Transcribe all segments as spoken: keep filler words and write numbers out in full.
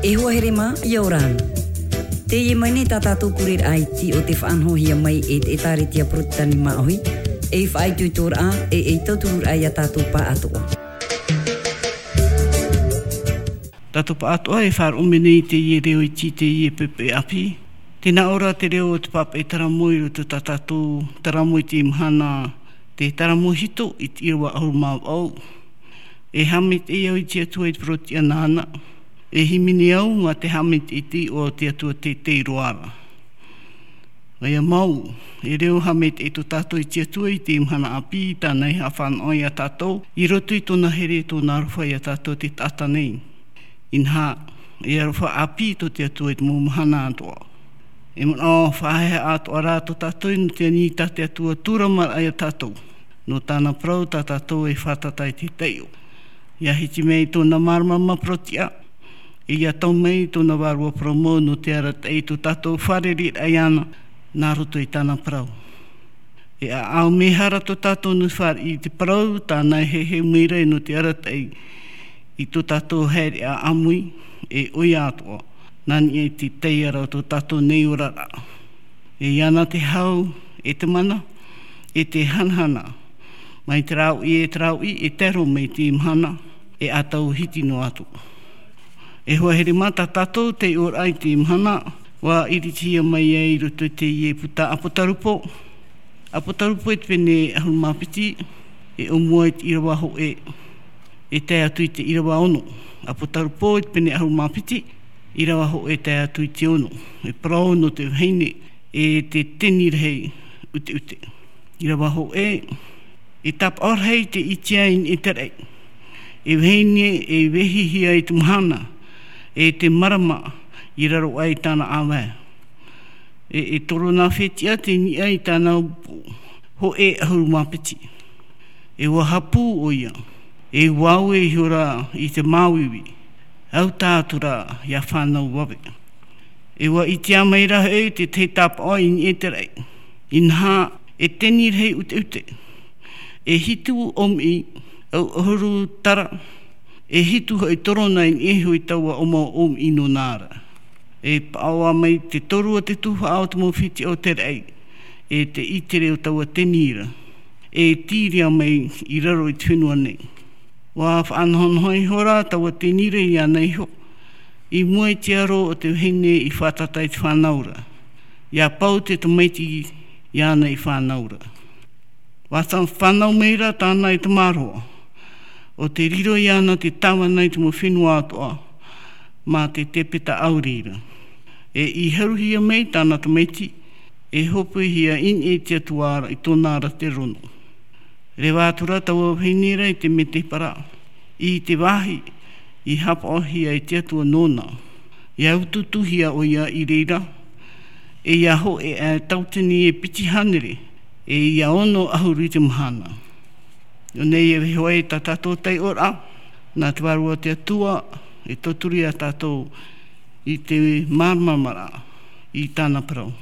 E hoa here mā, ʻia ora na. Teie mai nei tā tātou pureraʻa iti o te faʻanahohia mai e te ʻĒtārētia Porotetani Māʻohi, ei faʻaitoitoraʻa, e ei tautururaʻa ia tātou pāʻatoʻa. Tātou pāʻatoʻa e faʻaroʻo mai nei i teie reo iti, teie poʻipoʻi ʻāpī. Tē nā ʻō ra te reo o te pāpaʻi taramo i roto tā tātou taramo i teie mahana, te taramo hito i te ʻīrava ʻahuru mā vaʻu. E haʻamaitaʻi au i te Atua i te parau-tiʻa nāna. E hīmene au mā te haʻamaitaʻi i te iʻoa o te Atua teitei roa ra. ʻOia mau, e reo haʻamaitaʻi tō tātou i te Atua i teie mahana ʻāpī, tāna i haʻafānaʻo ia tātou, i roto i tōna here, tōna aroha ia tātou te taʻata nei. Inaha, e aroha ʻāpī tō te Atua i te mau mahana atoʻa. E manaʻo faʻaheha atoʻa rā tō tātou i nō te ani tā te Atua tūramaraʻa ia tātou. Nō tāna parau tā tātou e fātata i te taiʻo. ʻIa hiti mai tōna māramarama parau-tiʻa, e ʻia tau mai tōna vārua parau mau nō te arataʻi i tō tātou fārereiraʻa iāna, nā roto i tāna parau. E ʻāʻau mehara tō tātou nō te fāriʻi i te parau, tāna e heheu mai ra nō te arataʻi i tō tātou haereʻa ʻāmui, e ʻoia atoʻa, nā niʻa i te taiara o tō tātou nei oraraʻa. E iāna te hau, e te mana, e te hanahana, mai te rāuʻi, e te rāuʻi, e tae roa mai i te mahana, e ʻa tau hiti noa atu. E hoa here mā tā tātou taiʻoraʻa i teie mahana, ʻua iritihia mai ai i roto i teie puta ʻApotarupo. ʻApotarupo i te pene ʻahuru mā piti, e ʻōmua i te ʻīrava hōʻē, e tae atu i te ʻīrava ono. ʻApotarupo i te pene ʻahuru mā piti, ʻīrava hōʻē tae atu i te ono. E parau nō te vahine, e te teni rahi ʻuteʻute. ʻĪrava hōʻē, e tāpaʻo rahi te ʻitea i niʻa i te raʻi. E vahine e vehihia i te mahana, e te marama i raro aʻe i tāna ʻāvae. E, e toro nā fetiʻa te niʻa i tāna upu, hōʻē ʻahuru mā piti. E ʻua hapū ʻoia, e ʻua ʻaue ihora i te māuiui, ʻaita atu ra ʻia fānau vave. E ʻua ʻitea mai ra hoʻi te tahi tāpaʻo i niʻa i te raʻi. Inaha, e teni rahi ʻuteʻute, e hitu ʻōmiʻi, ʻauʻahuru tara, e hitu hoʻi torona i niʻa iho i taua ʻōmau ʻōmiʻi nōna ra. E paʻoa mai te toru o te tuhaʻa o te mau fetiʻa o te raʻi, e te ʻitere o taua teni ra, e tīria mai i raro i te fenua nei. ʻUa faʻanahonaho ihora taua teni ra iāna iho, i mua i te aro o te vahine i fātata i te fānau ra, ʻia pau te tamaiti iāna i fānau ra. ʻUa fānau mai ra tāna e tamaroa, ʻo tē riro iāna te tāvana i te mau fenua atoʻa, mā te tepeta ʻauri ra. E i haruhia mai tāna tamaiti, e hōpoihia i niʻa i te Atua ra i tōna ra te rono. Reva atu ra taua vahine ra i te mētēpara, i te vāhi i hapaʻohia e te Atua nōna, ʻia utuutuhia ʻoia i reira, e ʻia hōʻē aʻe tautini e piti hānere, e ʻia ono ʻahuru i te mahana. Nō nei e vaiho ai tā tātou taiʻoraʻa, nā te Vārua o te Atua, e tauturu ia tātou i te māramarama ra i tāna parau.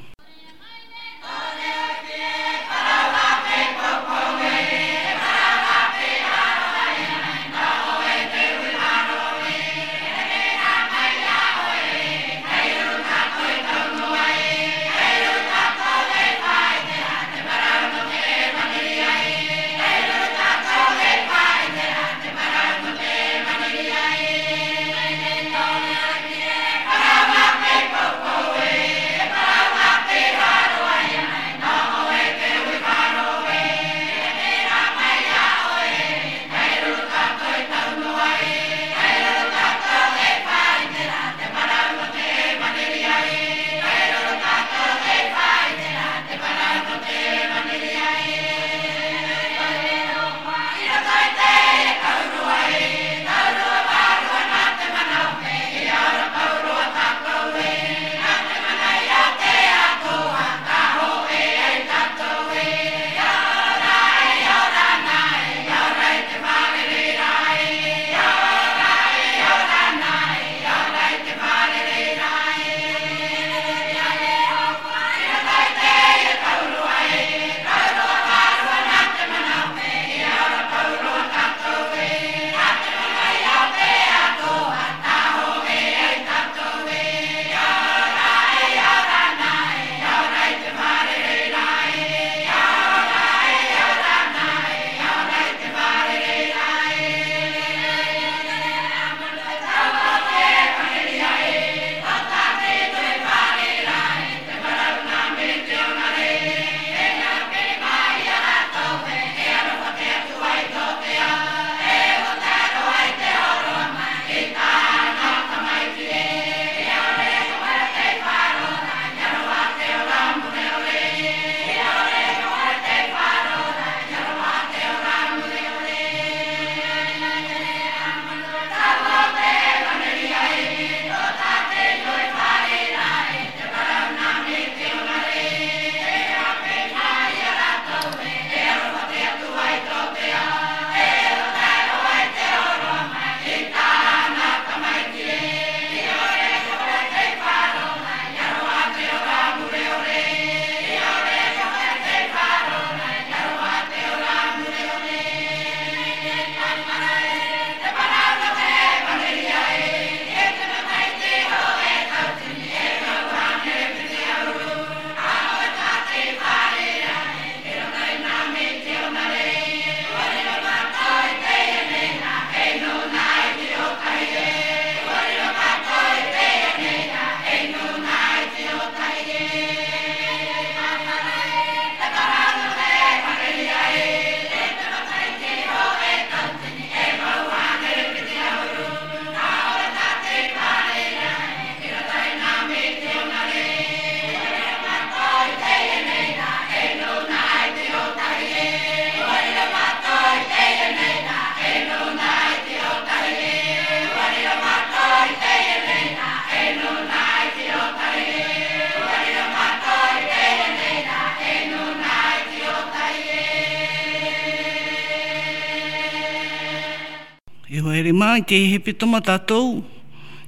Here mā i te hepetoma tātou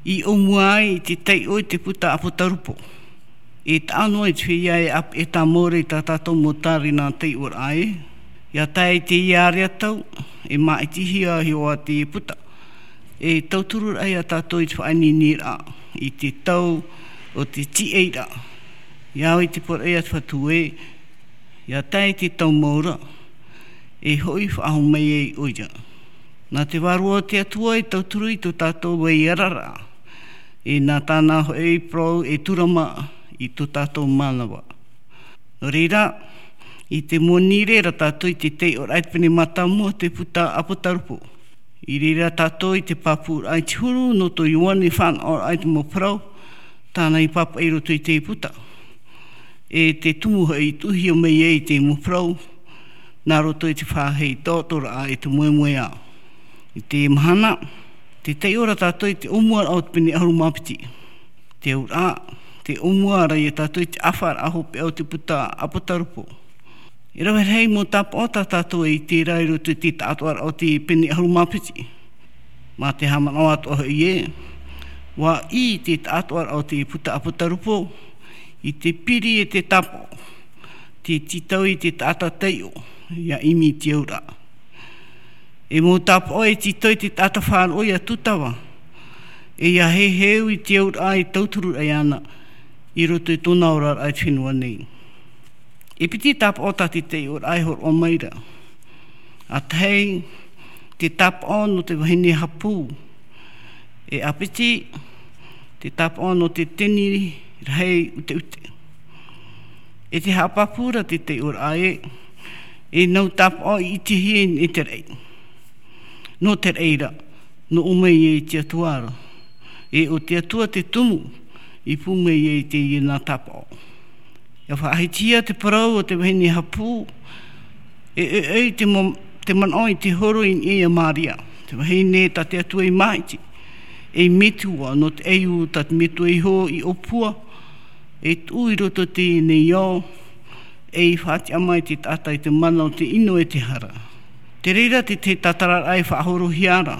i ʻōmua ai i te taiʻo i te puta ʻApotarupo. E taʻa noa i te feiā e ʻape e tāmau ra i tā tātou mau tārena taiʻoraʻa ē. ʻIa tae i te ia ʻāreʻa tau, e māʻitihia hoʻi te puta. E tauturu ra ia tātou i te faʻaineineraʻa i te tau o te tiʻairaʻa. ʻIa au i te poroʻi a te Fatu ē, ʻia tae i te tau mau ra, e hoʻi faʻahou mai ai ʻoia. Nā te vārua o te Atua e tauturu i tō tātou vai araraʻa, e nā tāna hoʻi parau e tura mā i tō tātou mānava. Nō reira, i te moni ra tātou i te taiʻoraʻa i te pene mātāmua o te puta ʻApotarupo. I reira tātou i te pāpūraʻa i te huru nō tō Ioane fānaʻoraʻa i te mau parau, tāna i pāpaʻi i roto i te puta. E te tumu hoʻi i tuʻuhia mai ai te mau parau, nā roto i te faʻaheʻi taʻatoʻaraʻa e te moemoeā. I te mahana, te taiʻo ra tātou i te ʻōmuaraʻa o te pene ʻahuru mā piti. Te auraʻa, te ʻōmua ra ia tātou i te ʻāfaʻaraʻa hopeʻa o te puta ʻApotarupo. E rave rahi mau tāpaʻo tā tātou e ʻite ra i roto i te taʻatoʻaraʻa o te pene ʻahuru mā piti. Mā te haʻamanaʻo atoʻa hoʻi ē, ʻua ʻī te taʻatoʻaraʻa o te puta ʻApotarupo, i te piri e te tāpaʻo, te tītau i te taʻata taiʻo, ʻia ʻimi i te auraʻa. E mau tāpaʻo e tītau i te taʻata faʻaroʻo ʻia tūtava, e ʻia heheu i te auraʻa e tauturu ra iāna, i roto i tōna oraraʻa i te fenua nei. E piti tāpaʻo tā te taiʻoraʻa e hōroʻa mai ra. ʻA tahi, te tāpaʻo nō te vahine hapū. E ʻa piti, te tāpaʻo nō te teni rahi ʻuteʻute. E te haʻapāpū ra te taiʻoraʻa ē, e nau tāpaʻo i ʻitehia e te raʻi. Nō te raʻi ra, nō ʻō mai ai te Atua ra. E ʻo te Atua te tumu, i pū mai ai teie nā tāpaʻo. ʻIa faʻahitihia te parau o te vahine hapū, e ʻoiʻoi te mo-, te manaʻo i te horo i niʻa ia Maria. Te vahine tā te Atua i māʻiti, ei metua nō te ʻaiū tā te Metua iho i ʻōpua, e tuʻu i roto teie nei ao, ei faʻatiʻa mai te taʻata i te mana o te ʻino e te hara. Te reira te, te tātararaʻa e faʻahorohia ra.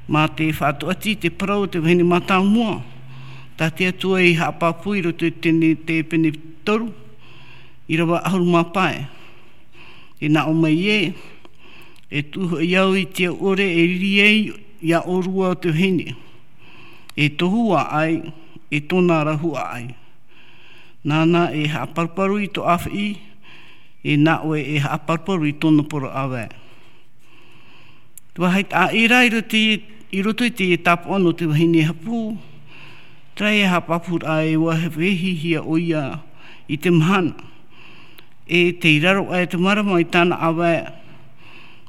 Mā te faʻatuati te parau o te vahine mātāmua, tā te Atua i haʻapāpū i roto i te, te pene toru, ʻīrava ʻahuru mā pae. E nā ʻō mai ē, e tuʻu hoʻi au i te au ʻore e riri ai ia ʻōrua o te vahine. E tohu ā ʻai, e tōna rahu ā ʻai. Nāna e haʻaparuparu i tō ʻāfaʻi, e nā ʻoe e haʻaparuparu i tōna poro ʻāvae. Te vāhi taʻa ʻē ra i roto i, i roto i te tāpaʻo nō te vahine hapū, terā e haʻapāpūraʻa e ʻua vehihia ʻoia i te mahana. E tei raro aʻe te marama i tāna ʻāvae,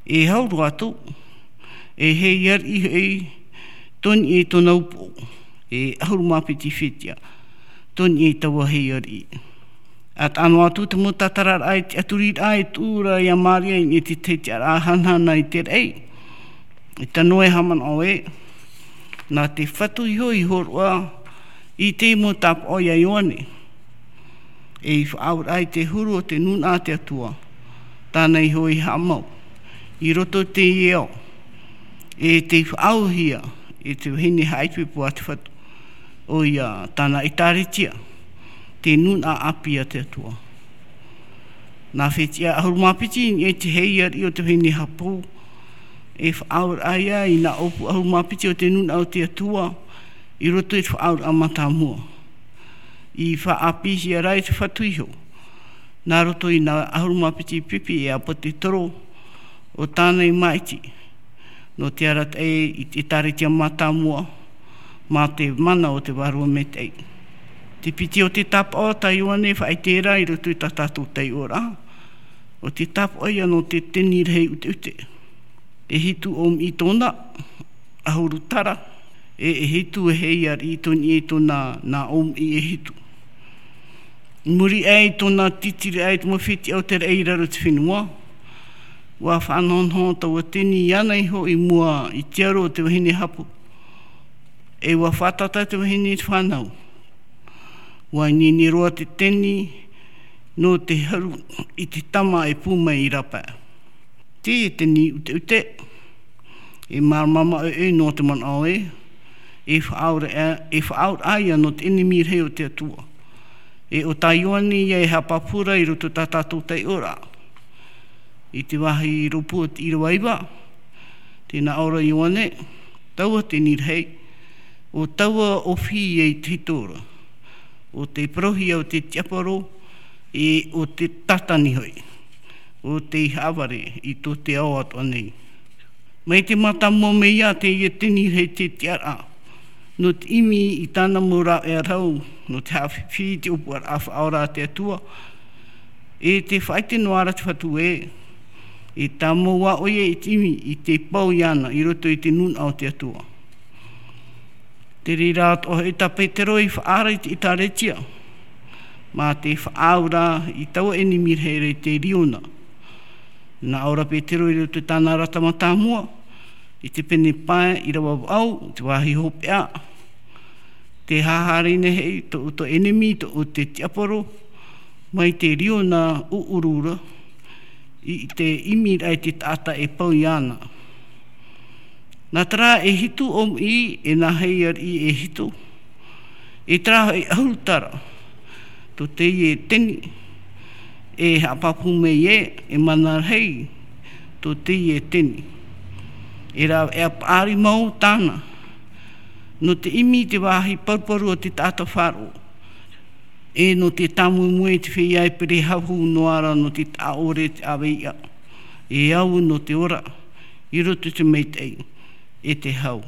e hau roa atu, e heiariʻi hoʻi tō niʻa i tōna upoʻo, e ʻahuru mā piti fetiʻa, tō niʻa i taua heiariʻi. ʻA taʻa noa atu te mau tātararaʻa i te ʻaturiraʻa e tuʻu ra ia Maria i niʻa i te tiʻaraʻa hanahana i te raʻi. E tano e haʻamanaʻo ē, nā te Fatu iho i hōroʻa i te mau tāpaʻo ia Ioane. E i faʻaauraʻa i te huru o te nūnaʻa a te Atua, tāna iho i haʻamau, i roto i teie ao, e tei faʻaauhia e te vahine haʻaipoipo a te Fatu, ʻoia tāna ʻētāretia, te nūnaʻa ʻāpī a te Atua. Nā fetiʻa ʻahuru mā piti i niʻa i te heiariʻi o te vahine hapū, e faʻaauraʻa ia i nā ʻōpū ʻahuru mā piti o te nūnaʻa o te Atua, i roto i te faʻaauraʻa mātāmua. I faʻaʻāpīhia ra e te Fatu iho, nā roto i nā ʻahuru mā piti pipi e ʻāpōtetoro, ʻo tāna i māʻiti, nō te arataʻi i te ʻētāretia mātāmua, mā te mana o te Vārua Maitaʻi. Te piti o te tāpaʻo tā Ioane e faʻaʻite ra i roto i tā tātou taiʻoraʻa, ʻo te tāpaʻo ia nō te teni rahi ʻuteʻute. E hitu ʻōmiʻi tōna, ʻahuru tara, e, e hitu e heiariʻi tō niʻa i tōna nā ʻōmiʻi e hitu. I muri aʻe i tōna tītiri aʻe i te mau fetiʻa o te raʻi i raro i te fenua, ʻua faʻanahonaho taua teni iāna iho i mua i te aro o te vahine hapū. E ʻua fātata te vahine i te fānau. ʻUa ineine roa te teni nō te haru i te tama e pū mai i rāpae. Teie teni ʻuteʻute, E māramarama ʻoe nō te manaʻo ē, e faʻaauraʻa, e faʻaauraʻa ia nō te ʻenemi rahi o te Atua. E ʻo tā Ioane ia e haʻapāpū ra i roto tā tātou taiʻoraʻa. I te vāhi rōpū o te ʻīrava iva, tē nā ʻō ra Ioane, taua te ʻeni rahi, ʻo taua ʻofi ia i te hito ra, ʻo te parauhia o te tiaporo, e ʻo te tātani hoʻi, ʻo tei haʻavare i tō te ao atoʻa nei. Mai te mātāmua mai ia teie ʻeni rahi te tiʻaraʻa, nō te ʻimi i tāna mau rāveʻa rau, nō te haʻafifi i te ʻōpuaraʻa faʻaora a te Atua, e tē faʻaʻite noa ra te Fatu ē, e tāmau ā ʻoia i te ʻimi i te pau iāna i roto i te nūnaʻa o te Atua. Te reira atoʻa hoʻi tā Petero i faʻaara i te ʻēkālesia, mā te faʻaauraʻa i taua ʻenemi rahi ra i te riona. Nā ʻō ra Petero i roto i tāna arata mātāmua, i te pene pae ʻīrava vaʻu, te vāhi hopeʻa, tē haʻahaere nei hoʻi tō, tō ʻenemi, tō, ʻo te tiaporo, mai te riona ʻuʻuru ra, i te ʻimiraʻa i te taʻata e pau iāna. Nā terā e hitu ʻōmui, e nā hei ariʻi e hitu, e terā e ʻahuru tara, tō teie ʻeni, e haʻapāpū mai ē, e mana rahi, tō teie ʻeni. E rāveʻa paʻari mau tāna, nō te ʻimi i te vāhi paruparu o te taʻata faʻaroʻo, e nō te tāmoemoe i te feiā e perehahu noa ra nō te taʻa ʻore te ʻāveiʻa, e au nō te ora, i roto i te maitaʻi, e te hau.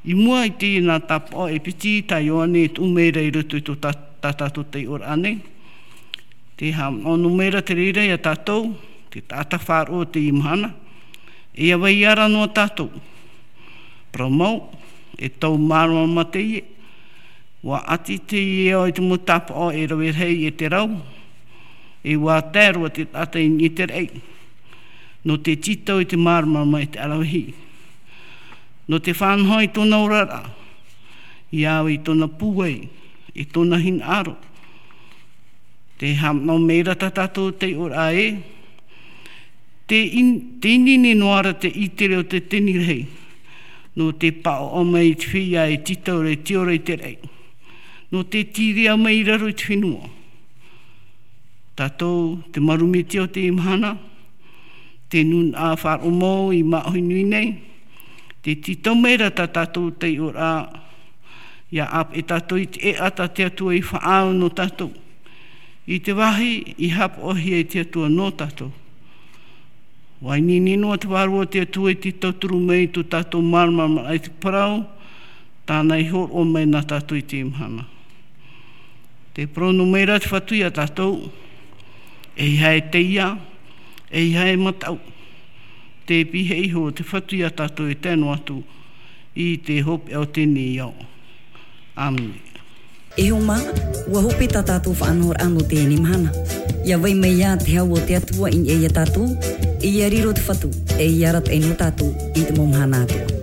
I mua i teie nā tāpaʻo e piti tā Ioane e tuʻu mai ra i roto i tō tā, tā tātou taiʻoraʻa nei. Tē haʻamanaʻo noa mai ra te reira ia tātou, te taʻata faʻaroʻo o teie mahana. E ʻia vai ra noa tātou. Parau mau, e tau māramarama teie. ʻUa ʻati teie ao i te mau tāpaʻo e rave rahi e te rau. E ʻua tae roa te taʻata i niʻa i te raʻi. Nō te tītau i te māramarama e te ʻaravihi. Nō te faʻanaho i tōna oraraʻa, ʻia au i tōna pūai, i tōna hinaʻaro. Tē haʻamanaʻo mai ra tā tātou taiʻoraʻa ē, tē in-, tē ineine noa ra te ʻītere o te ʻeni rahi, nō te paʻoʻa mai i te feiā e tītau ra e tiʻa ra i te raʻi, nō te tīria mai i raro i te fenua. Tātou, te marumetia o teie mahana, te nūnaʻa faʻaroʻo mau i māʻohi nui nei, tē tītau mai ra tā tātou taiʻoraʻa, ʻia ʻāpeʻe tātou i te ʻēʻa tā te Atua i faʻaau nō tātou, i te vāhi i haʻapaʻohia e te Atua nō tātou. ʻUa ineine noa te Vārua o te Atua i te tauturu mai i tō tātou māramarama i te parau, tāna i hōroʻa mai nā tātou i teie mahana. Tē parau noa mai ra te Fatu ia tātou, ʻeiaha e teiā, ʻeiaha e mataʻu. Tē pihaʻi iho te Fatu ia tātou e tae noa atu i te hopeʻa o teie nei ao. ʻĀmene. E hoa mā, ʻua hope tā tātou faʻanahoraʻa nō teie mahana. ʻIa vai mai ā te hau o te Atua i niʻa ia tātou, e ʻia riro te Fatu, e ʻia arataʻi noa tātou i te mau mahana atoʻa.